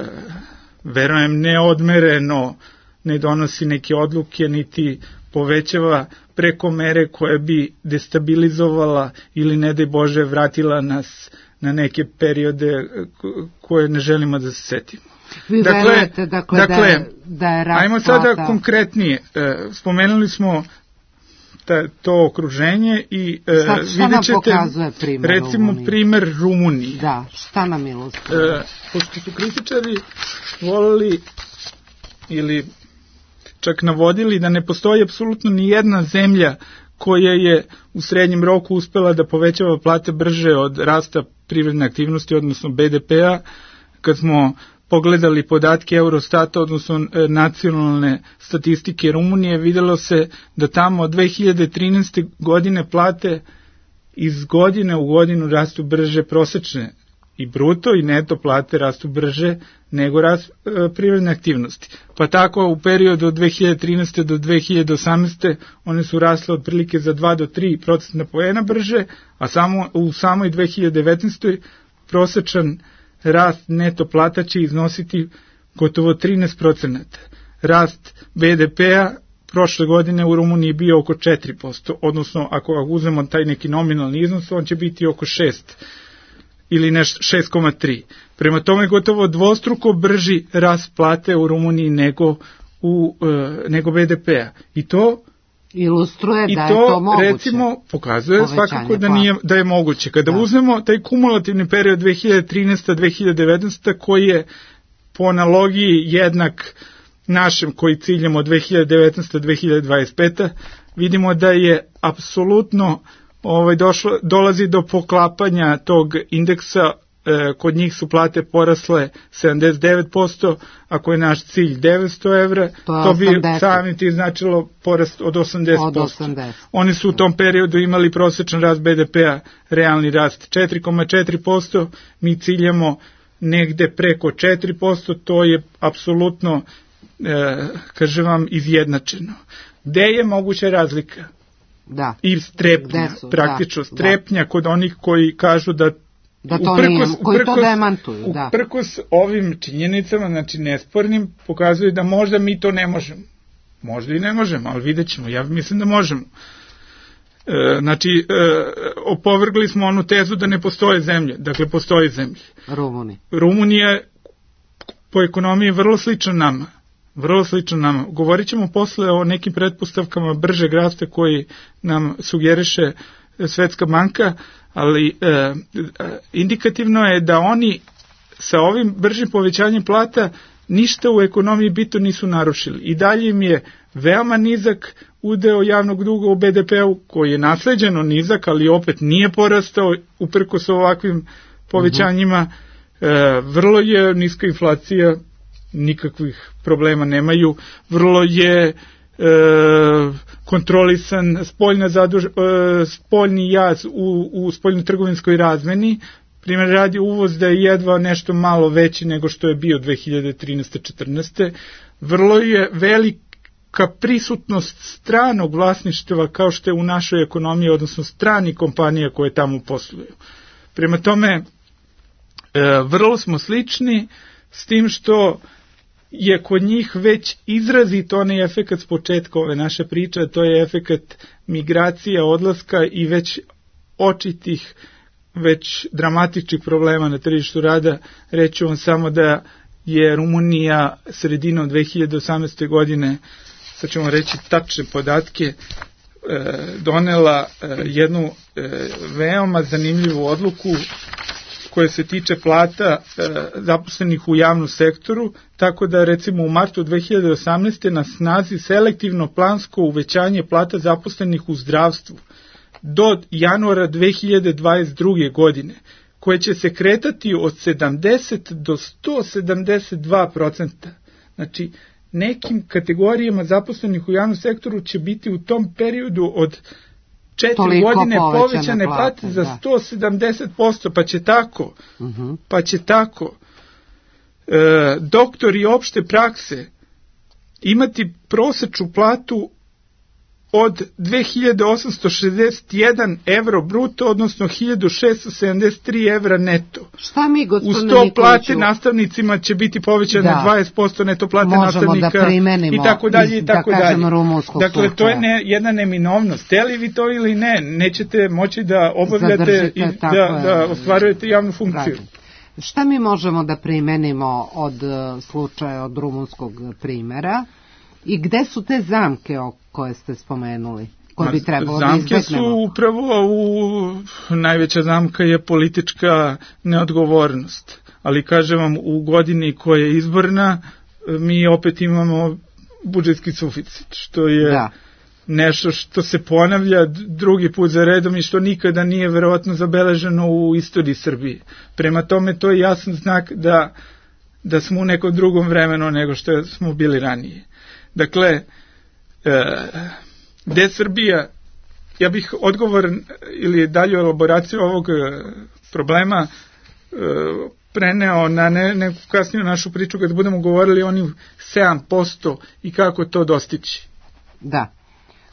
verujem, neodmereno ne donosi neke odluke, niti povećava preko mere koja bi destabilizovala ili, ne daj Bože, vratila nas na neke periode koje ne želimo da se setimo. Vi dakle, verujete, dakle, dakle, da je, da je rast ajmo sada plata... konkretnije. E, spomenuli smo ta, to okruženje i e, šta, šta vidjet ćete, primer recimo, Rumuniji? Primer Rumuniji. Da, šta nam ilustruje? E, pošto su kritičari volili ili čak navodili da ne postoji apsolutno ni jedna zemlja koja je u srednjem roku uspela da povećava plate brže od rasta privredne aktivnosti, odnosno be de pe-a. Kad smo pogledali podatke Eurostata, odnosno nacionalne statistike Rumunije, videlo se da tamo od dve hiljade trinaeste. godine plate iz godine u godinu rastu brže, prosečne i bruto i neto plate rastu brže nego rast e, privredne aktivnosti. Pa tako u periodu od dve hiljade trinaeste. do dve hiljade osamnaeste. one su rasle otprilike za dva do tri procentna poena brže, a samo u samoj dve hiljade devetnaestoj. prosečan rast neto plata će iznositi gotovo trinaest procenata. Rast be de pe-a prošle godine u Rumuniji bio oko četiri posto, odnosno ako uzmemo taj neki nominalni iznos, on će biti oko šest ili nešto šest zarez tri. Prema tome gotovo dvostruko brži rast plate u Rumuniji nego u e, nego be de pe-a. I to ilustruje i da to, je to moguće. Recimo pokazuje Povećanje svakako da nije da je moguće. Kada da. uzmemo taj kumulativni period dve hiljade trinaeste. do dve hiljade devetnaeste. koji je po analogiji jednak našem koji ciljamo od dve hiljade devetnaeste. do dve hiljade dvadeset pete. vidimo da je apsolutno ovaj došlo dolazi do poklapanja tog indeksa. E, kod njih su plate porasle sedamdeset devet posto, ako je naš cilj devetsto evra, to, to bi samim ti značilo porast od osamdeset posto. Od osamdeset. Oni su u tom periodu imali prosječan rast be de pe-a, realni rast četiri zarez četiri posto, mi ciljamo negde preko četiri posto, to je apsolutno, e, kažem vam, izjednačeno. Gde je moguća razlika? Da. I strepnja, su, praktično da, strepnja da. Kod onih koji kažu da da to uprkos, nije, koji uprkos, to demantuju, da. Uprkos ovim činjenicama, znači nespornim, pokazuju da možda mi to ne možemo. Možda i ne možemo, ali vidjet ćemo. Ja mislim da možemo. E, znači, e, opovrgli smo onu tezu da ne postoje zemlje. Dakle, postoje zemlje. Rumuni. Rumunija po ekonomiji je vrlo slična nama. Vrlo slično nama. Govorit ćemo posle o nekim pretpostavkama bržeg rasta koji nam sugeriše Svetska banka, ali e, indikativno je da oni sa ovim bržim povećanjem plata ništa u ekonomiji bitno nisu narušili. I dalje im je veoma nizak udeo javnog duga u be de pe-u, koji je nasleđeno nizak, ali opet nije porastao uprkos ovakvim povećanjima. E, vrlo je niska inflacija, nikakvih problema nemaju, vrlo je e, kontrolisan spoljna zaduž, e, spoljni jaz u, u spoljno-trgovinskoj razmeni. Primjer radi uvoz da je jedva nešto malo veći nego što je bio dve hiljade trinaeste četrnaeste. Vrlo je velika prisutnost stranog vlasništva kao što je u našoj ekonomiji, odnosno strani kompanija koje tamo posluju. Prema tome, e, vrlo smo slični, s tim što je kod njih već izrazito onaj efekat s početka ove naše priče, to je efekat migracija, odlaska i već očitih, već dramatičnih problema na tržištu rada. Reću vam samo da je Rumunija sredinom dve hiljade osamnaeste. godine, sad ćemo reći tačne podatke, donela jednu veoma zanimljivu odluku koje se tiče plata e, zaposlenih u javnom sektoru, tako da recimo u martu dve hiljade osamnaeste. na snazi selektivno plansko uvećanje plata zaposlenih u zdravstvu do januara dve hiljade dvadeset druge. godine, koje će se kretati od sedamdeset do sto sedamdeset dva procenta. Znači, nekim kategorijama zaposlenih u javnom sektoru će biti u tom periodu od četiri Toliko godine povećane plate, plate za da. sto sedamdeset posto, pa će tako, uh-huh. pa će tako e, doktori opšte prakse imati prosečnu platu od dve hiljade osamsto šezdeset jedan evro bruto, odnosno hiljadu šeststo sedamdeset tri evra neto. Šta mi, gospodine Nikoliću? Uz to plate nastavnicima će biti povećane da. dvadeset posto, neto plate Možemo nastavnika da i tako dalje i tako da dalje. Dakle, to je ne, jedna neminovnost. Teli vi to ili ne, nećete moći da obavljate Zadržite, i da, da ostvarujete javnu funkciju. Pravi. Šta mi možemo da primenimo od slučaja, od rumunskog primjera? I gde su te zamke o koje ste spomenuli? Koje bi trebalo da izbegnemo? Zamke su upravo, u, najveća zamka je politička neodgovornost. Ali kažem vam, u godini koja je izborna, mi opet imamo budžetski suficit, što je da. nešto što se ponavlja drugi put za redom i što nikada nije verovatno zabeleženo u istoriji Srbije. Prema tome, to je jasan znak da, da smo u nekom drugom vremenu nego što smo bili ranije. Dakle, e, gde Srbija, ja bih odgovor ili dalju elaboraciju ovog problema e, preneo na ne, neku kasniju našu priču kad budemo govorili o onih sedam posto i kako to dostići. Da,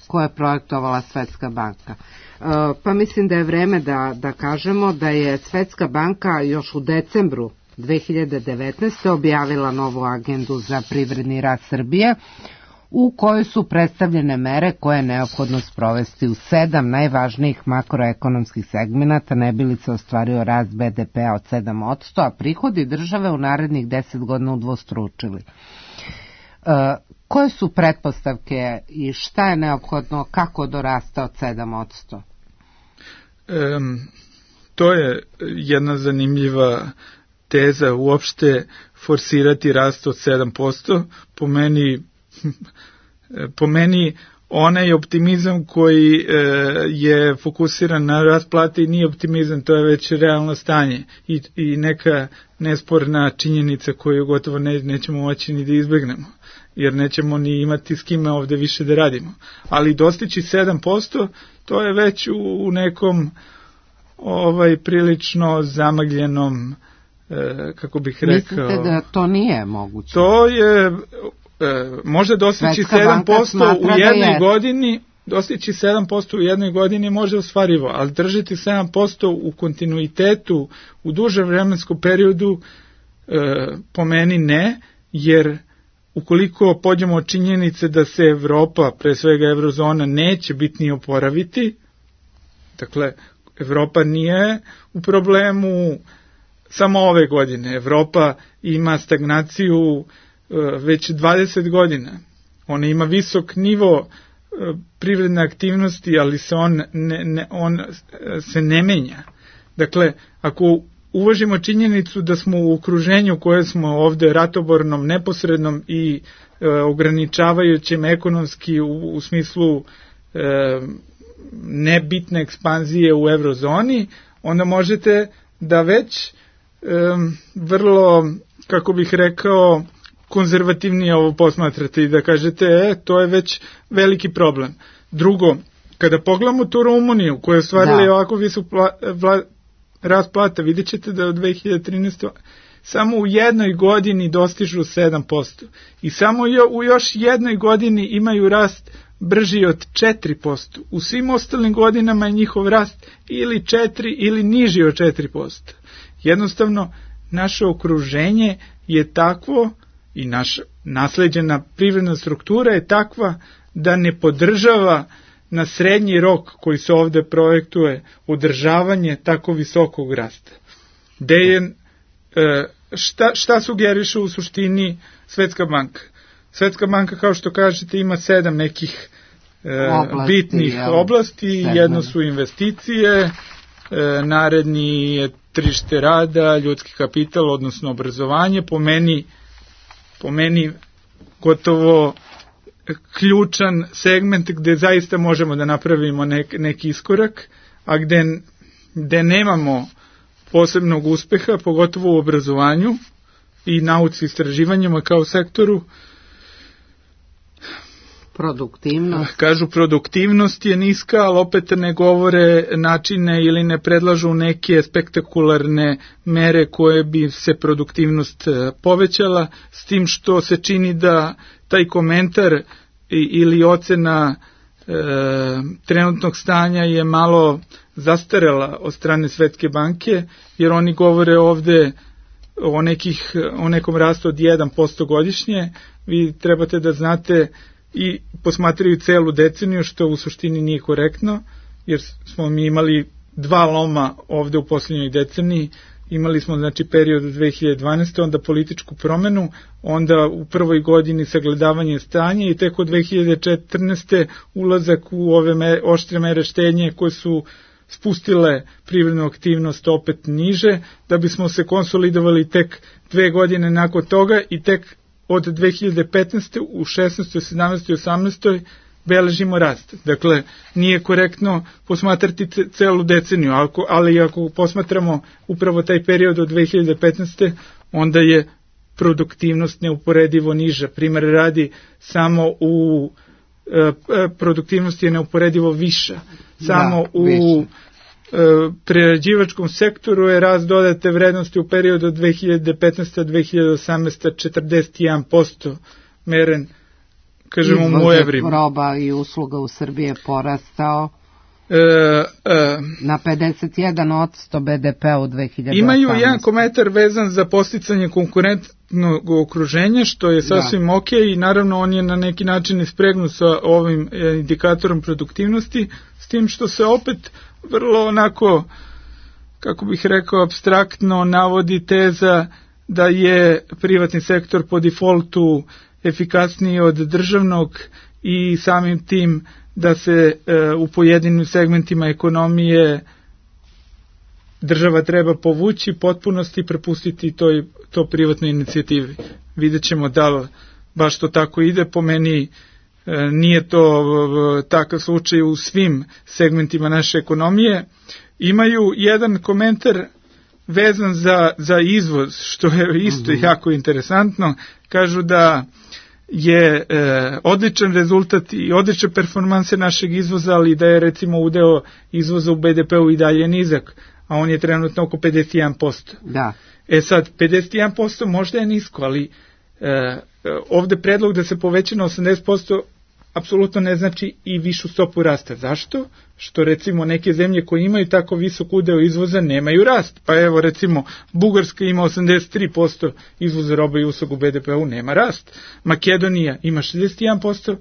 koje je projektovala Svetska banka. E, pa mislim da je vreme da, da kažemo da je Svetska banka još u decembru dve hiljade devetnaeste. objavila novu agendu za privredni rast Srbije, u kojoj su predstavljene mere koje je neophodno sprovesti u sedam najvažnijih makroekonomskih segmenata, ne bi li se ostvario rast be de pe-a od sedam posto, a prihodi države u narednih deset godina udvostručili. E, koje su pretpostavke i šta je neophodno, kako do rasta od sedam posto? Um, to je jedna zanimljiva teza, uopšte forsirati rast od sedam posto. Po meni, po meni onaj optimizam koji e, je fokusiran na rast plate i nije optimizam, to je već realno stanje i, i neka nesporna činjenica koju gotovo ne, nećemo moći ni da izbegnemo, jer nećemo ni imati s kime ovde više da radimo. Ali dostići sedam posto, to je već u, u nekom ovaj prilično zamagljenom, kako bih rekao... Mislite da to nije moguće? To je, može dostići sedam posto u jednoj godini, dostići sedam posto u jednoj godini može ostvarivo, ali držati sedam posto u kontinuitetu u dužem vremenskom periodu po meni ne, jer ukoliko pođemo od činjenice da se Evropa, pre svega Eurozona, neće bitni oporaviti, dakle, Evropa nije u problemu samo ove godine. Evropa ima stagnaciju uh, već dvadeset godina. Ona ima visok nivo uh, privredne aktivnosti, ali se on, ne, ne, on uh, se ne menja. Dakle, ako uvažimo činjenicu da smo u okruženju koje smo ovde ratobornom, neposrednom i uh, ograničavajućem ekonomski u, u smislu uh, nebitne ekspanzije u eurozoni, onda možete da već Um, vrlo, kako bih rekao, konzervativnije ovo posmatrate i da kažete, e, to je već veliki problem. Drugo, kada pogledamo tu Rumuniju, koja je ostvarila da. ovako visok pla, vla, rast plata, vidjet ćete da od dve hiljade trinaeste. samo u jednoj godini dostižu sedam posto. I samo jo, u još jednoj godini imaju rast brži od četiri posto. U svim ostalim godinama je njihov rast ili četiri ili niži od četiri posto. Jednostavno, naše okruženje je takvo i naša nasleđena privredna struktura je takva da ne podržava na srednji rok koji se ovde projektuje održavanje tako visokog rasta. Gde je, šta, šta sugeriše u suštini Svetska banka? Svetska banka, kao što kažete, ima sedam nekih oblasti, bitnih ja, oblasti. Sedam. Jedno su investicije, naredni je tržište rada, ljudski kapital, odnosno obrazovanje, po meni, po meni gotovo ključan segment gde zaista možemo da napravimo nek, neki iskorak, a gde, gde nemamo posebnog uspeha, pogotovo u obrazovanju i nauci i istraživanjima kao sektoru. Produktivnost. Kažu produktivnost je niska, ali opet ne govore načine ili ne predlažu neke spektakularne mere koje bi se produktivnost povećala, s tim što se čini da taj komentar ili ocena e, trenutnog stanja je malo zastarela od strane Svetske banke, jer oni govore ovde o, nekih, o nekom rastu od jedan posto godišnje. Vi trebate da znate i posmatraju celu deceniju, što u suštini nije korektno, jer smo mi imali dva loma ovde u posljednjoj deceniji. Imali smo znači period dve hiljade dvanaeste. onda političku promenu, onda u prvoj godini sagledavanje stanja i tek od dve hiljade četrnaeste. ulazak u ove mere, oštre mere štednje koje su spustile privrednu aktivnost opet niže, da bismo se konsolidovali tek dve godine nakon toga i tek od dve hiljade petnaeste. u šesnaestoj, sedamnaestoj i osamnaestoj beležimo rast. Dakle, nije korektno posmatrati celu deceniju, ali ako posmatramo upravo taj period od dve hiljade petnaeste. onda je produktivnost neuporedivo niža. Primer radi, samo u produktivnost je neuporedivo viša. Samo da, u više. Prerađivačkom sektoru je rast dodate vrednosti u periodu od dve hiljade petnaeste. do dve hiljade osamnaeste. četrdeset jedan posto meren, kažemo mu u evrima. Roba i usluga u Srbiji je porastao e, e, na pedeset jedan posto be de pe u dve hiljade osamnaeste. Imaju jedan komentar vezan za posticanje konkurentnog okruženja, što je sasvim da. ok, i naravno on je na neki način ispregnut sa ovim indikatorom produktivnosti, s tim što se opet vrlo onako, kako bih rekao, apstraktno navodi teza da je privatni sektor po defaultu efikasniji od državnog i samim tim da se e, u pojedinim segmentima ekonomije država treba povući potpunosti i prepustiti to, to privatnoj inicijativi. Vidjet ćemo da li baš to tako ide. Po meni e, nije to e, takav slučaj u svim segmentima naše ekonomije. Imaju jedan komentar vezan za, za izvoz, što je isto mm-hmm. jako interesantno. Kažu da je e, odličan rezultat i odlične performanse našeg izvoza, ali da je recimo udeo izvoza u be de pe-u i dalje nizak, a on je trenutno oko pedeset jedan posto. Da. E sad, pedeset jedan posto možda je nisko, ali e, ovde predlog da se poveća na osamdeset posto apsolutno ne znači i višu stopu rasta. Zašto? Što recimo neke zemlje koje imaju tako visok udeo izvoza nemaju rast. Pa evo recimo Bugarska ima osamdeset tri posto izvoza roba i usluga u be de pe-u, nema rast. Makedonija ima šezdeset jedan posto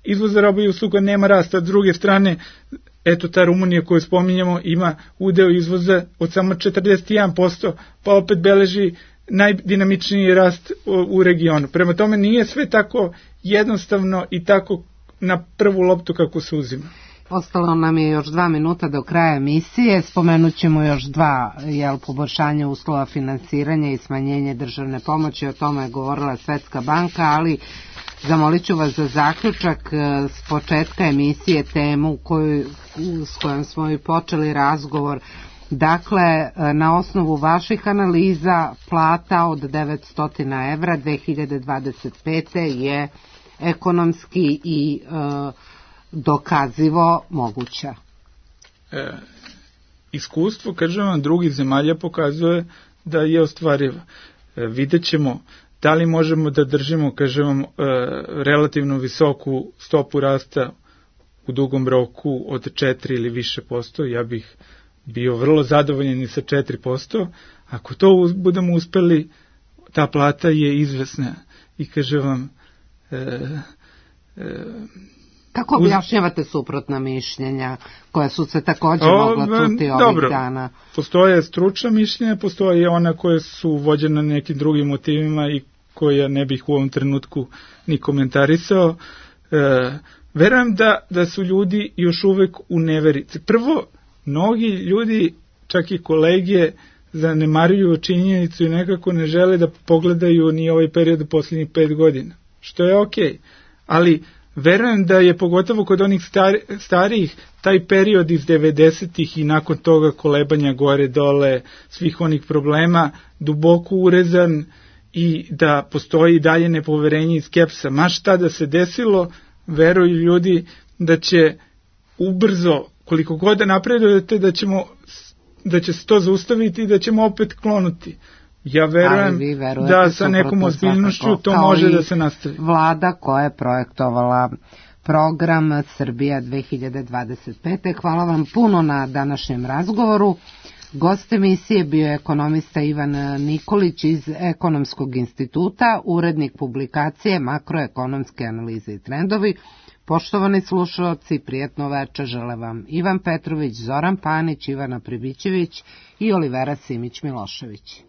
izvoza roba i usluga, nema rast. A s druge strane, eto ta Rumunija koju spominjamo ima udeo izvoza od samo četrdeset jedan posto, pa opet beleži najdinamičniji rast u regionu. Prema tome nije sve tako jednostavno i tako na prvu loptu kako se uzima. Ostalo nam je još dva minuta do kraja emisije. Spomenut ćemo još dva, jel, poboljšanja uslova finansiranja i smanjenje državne pomoći. O tome je govorila Svetska banka, ali zamolit ću vas za zaključak s početka emisije temu koju, s kojom smo i počeli razgovor. Dakle, na osnovu vaših analiza plata od devetsto evra dve hiljade dvadeset pete. je ekonomski i e, dokazivo moguća. E, iskustvo, kažem vam, drugih zemalja pokazuje da je ostvariva. E, vidjet ćemo da li možemo da držimo, kažem vam, e, relativno visoku stopu rasta u dugom roku od četiri ili više posto. Ja bih bio vrlo zadovoljan i sa četiri posto. Ako to budemo uspeli, ta plata je izvesna. I kažem vam, e, e, kako objašnjavate suprotna mišljenja koja su se također mogla čuti ovih dobro, dana? Postoje stručna mišljenja, postoje ona koje su vođene nekim drugim motivima i koja ne bih u ovom trenutku ni komentarisao. E, verujem da, da su ljudi još uvek u neverici. Prvo, mnogi ljudi, čak i kolege, zanemaruju činjenicu i nekako ne žele da pogledaju ni ovaj period u posljednjih pet godina, što je okej. Okay. Ali verujem da je pogotovo kod onih stari, starijih taj period iz devedesetih i nakon toga kolebanja gore dole, svih onih problema, duboko urezan i da postoji dalje nepoverenje i skepsa. Ma šta da se desilo, veruju ljudi da će ubrzo, koliko god da napredujete, da ćemo da će se to zaustaviti i da ćemo opet klonuti. Ja verujem da sa nekom ozbiljnošću to može da se nastavi. Vlada koja je projektovala program Srbija dve hiljade dvadeset pete. Hvala vam puno na današnjem razgovoru. Gost emisije bio je ekonomista Ivan Nikolić iz Ekonomskog instituta, urednik publikacije Makroekonomske analize i trendovi. Poštovani slušalci, prijetno večer žele vam Ivan Petrović, Zoran Panić, Ivana Pribićević i Olivera Simić-Milošević.